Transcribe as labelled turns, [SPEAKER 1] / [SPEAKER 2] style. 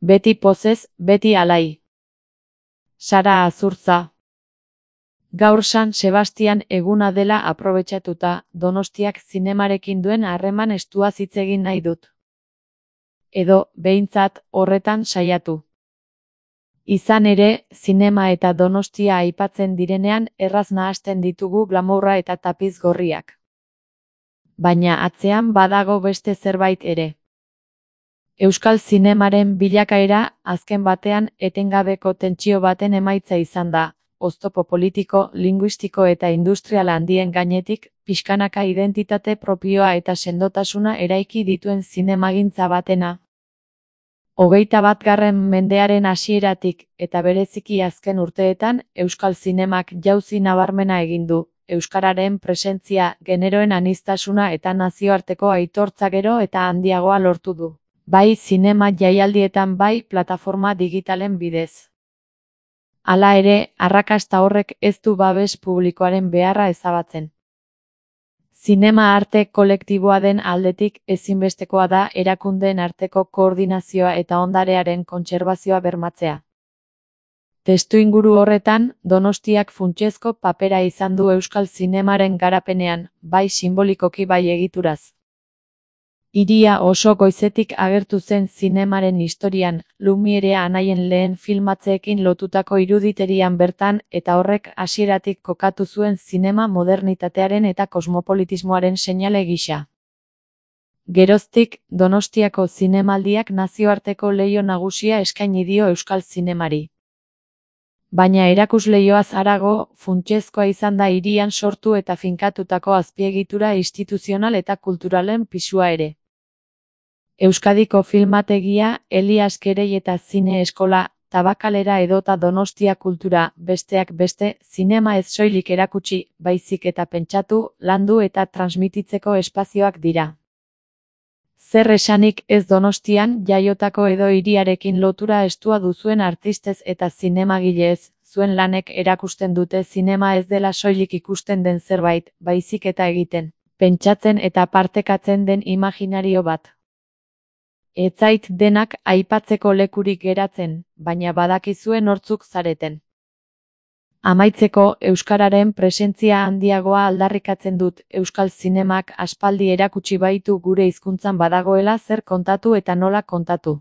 [SPEAKER 1] Beti pozez, beti alai. Sara Azurtza. Gaur San Sebastian eguna dela aprobetxatuta, Donostiak zinemarekin duen harreman estuaz hitz egin nahi dut. Edo, behintzat, horretan saiatu. Izan ere, zinema eta Donostia aipatzen direnean erraz nahasten ditugu glamourra eta tapiz gorriak. Baina atzean badago beste zerbait ere. Euskal zinemaren bilakaera, azken batean, etengabeko tentsio baten emaitza izan da, oztopo politiko, linguistiko eta industrial handien gainetik, pixkanaka identitate propioa eta sendotasuna eraiki dituen zinemagintza batena. 21. mendearen hasieratik, eta bereziki azken urteetan, Euskal zinemak jauzi nabarmena egin du, euskararen presentzia, generoen aniztasuna eta nazioarteko aitortza gero eta handiagoa lortu du. Bai zinema jaialdietan bai plataforma digitalen bidez. Hala ere, arrakasta horrek ez du babes publikoaren beharra ezabatzen. Zinema arte kolektiboa den aldetik ezinbestekoa da erakundeen arteko koordinazioa eta ondarearen kontserbazioa bermatzea. Testuinguru horretan, Donostiak funtsezko papera izan du euskal zinemaren garapenean, bai sinbolikoki bai egituraz. Hiria oso goizetik agertu zen zinemaren historian, Lumierea anaien lehen filmatzeekin lotutako iruditerian bertan, eta horrek hasieratik kokatu zuen zinema modernitatearen eta kosmopolitismoaren seinale gisa. Geroztik, Donostiako zinemaldiak nazioarteko leiho nagusia eskaini dio euskal zinemari. Baina erakusleihoaz harago, funtsezkoa izan da hirian sortu eta finkatutako azpiegitura instituzional eta kulturalen pisua ere. Euskadiko filmategia, Elias Kerei eta Zine Eskola, Tabakalera edota Donostia Kultura, besteak beste, zinema ez soilik erakutsi, baizik eta pentsatu, landu eta transmititzeko espazioak dira. Zer esanik ez Donostian jaiotako edo hiriarekin lotura estua duzuen artistez eta zinemagilez, zuen lanek erakusten dute zinema ez dela soilik ikusten den zerbait, baizik eta egiten, pentsatzen eta partekatzen den imaginario bat. Ez zait denak aipatzeko lekurik geratzen, baina badakizue nortzuk zareten. Amaitzeko, euskararen presentzia handiagoa aldarrikatzen dut, euskal zinemak aspaldi erakutsi baitu gure hizkuntzan badagoela zer kontatu eta nola kontatu.